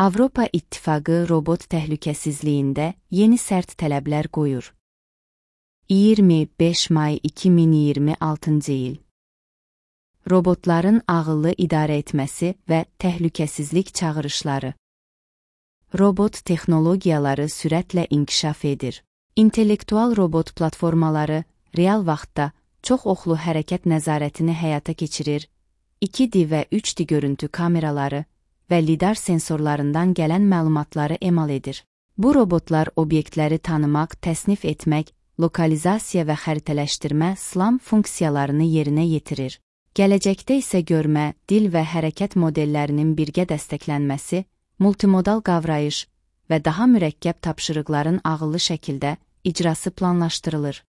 Avropa İttifaqı robot təhlükəsizliyində yeni sərt tələblər qoyur. 25 may 2026-cı il. Robotların ağıllı idarə etməsi və təhlükəsizlik çağırışları. Robot texnologiyaları sürətlə inkişaf edir. İntellektual robot platformaları real vaxtda çox oxlu hərəkət nəzarətini həyata keçirir, 2D və 3D görüntü kameraları və lidar sensorlarından gələn məlumatları emal edir. Bu robotlar obyektləri tanımaq, təsnif etmək, lokalizasiya və xəritələşdirmə SLAM funksiyalarını yerinə yetirir. Gələcəkdə isə görmə, dil və hərəkət modellərinin birgə dəstəklənməsi, multimodal qavrayış və daha mürəkkəb tapşırıqların ağıllı şəkildə icrası planlaşdırılır.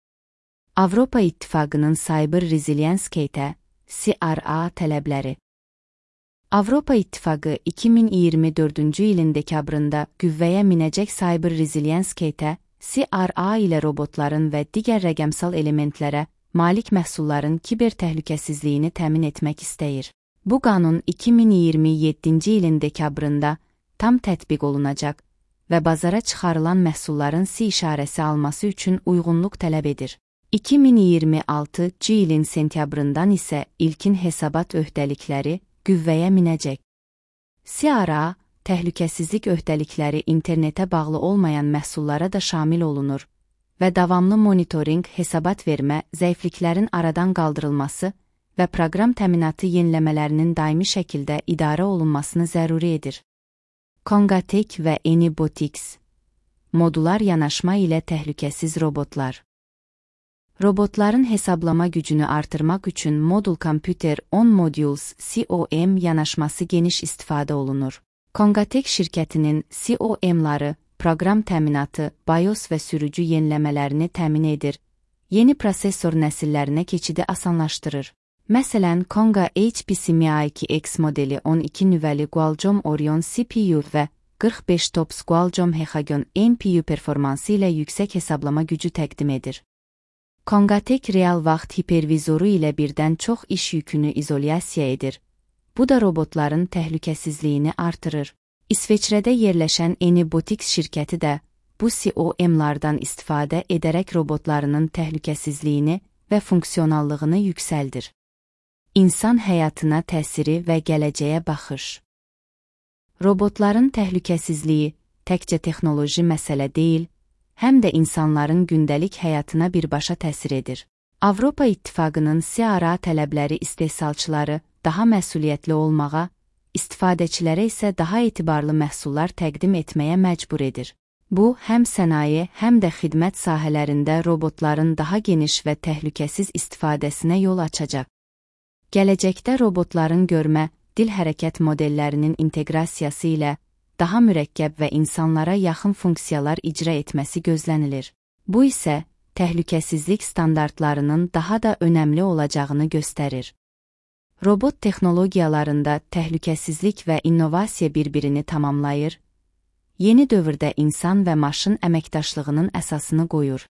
Avropa İttifaqının Cyber Resilience Kit-ə (CRA) tələbləri. Avropa İttifaqı 2024-cü ilin dekabrında qüvvəyə minəcək Cyber Resilience Kit-ə (CRA) ilə robotların və digər rəqəmsal elementlərə malik məhsulların kiber təhlükəsizliyini təmin etmək istəyir. Bu qanun 2027-ci ilin dekabrında tam tətbiq olunacaq və bazara çıxarılan məhsulların C işarəsi alması üçün uyğunluq tələb edir. 2026-cı ilin sentyabrından isə ilkin hesabat öhdəlikləri qüvvəyə minəcək. CRA, təhlükəsizlik öhdəlikləri internetə bağlı olmayan məhsullara da şamil olunur və davamlı monitorinq, hesabat vermə, zəifliklərin aradan qaldırılması və proqram təminatı yeniləmələrinin daimi şəkildə idarə olunmasını zəruri edir. Congatec və Anybotics. Modular yanaşma ilə təhlükəsiz robotlar. Robotların hesablama gücünü artırmaq üçün Modul Computer on Modules (COM) yanaşması geniş istifadə olunur. Congatec şirkətinin COM-ları proqram təminatı, BIOS və sürücü yeniləmələrini təmin edir, yeni prosesor nəsillərinə keçidi asanlaşdırır. Məsələn, Conga HPC Mi2X modeli 12 nüvəli Qualcomm Orion CPU və 45 TOPS Qualcomm Hexagon NPU performansı ilə yüksək hesablama gücü təqdim edir. Congatec real vaxt hipervizoru ilə birdən çox iş yükünü izolyasiya edir. Bu da robotların təhlükəsizliyini artırır. İsveçrədə yerləşən Anybotics şirkəti də bu COM-lardan istifadə edərək robotlarının təhlükəsizliyini və funksionallığını yüksəldir. İnsan həyatına təsiri və gələcəyə baxış. Robotların təhlükəsizliyi təkcə texnoloji məsələ deyil, həm də insanların gündəlik həyatına birbaşa təsir edir. Avropa İttifaqının CRA tələbləri istehsalçıları daha məsuliyyətli olmağa, istifadəçilərə isə daha etibarlı məhsullar təqdim etməyə məcbur edir. Bu, həm sənaye, həm də xidmət sahələrində robotların daha geniş və təhlükəsiz istifadəsinə yol açacaq. Gələcəkdə robotların görmə, dil hərəkət modellərinin inteqrasiyası ilə daha mürəkkəb və insanlara yaxın funksiyalar icra etməsi gözlənilir. Bu isə təhlükəsizlik standartlarının daha da önəmli olacağını göstərir. Robot texnologiyalarında təhlükəsizlik və innovasiya bir-birini tamamlayır, yeni dövrdə insan və maşın əməkdaşlığının əsasını qoyur.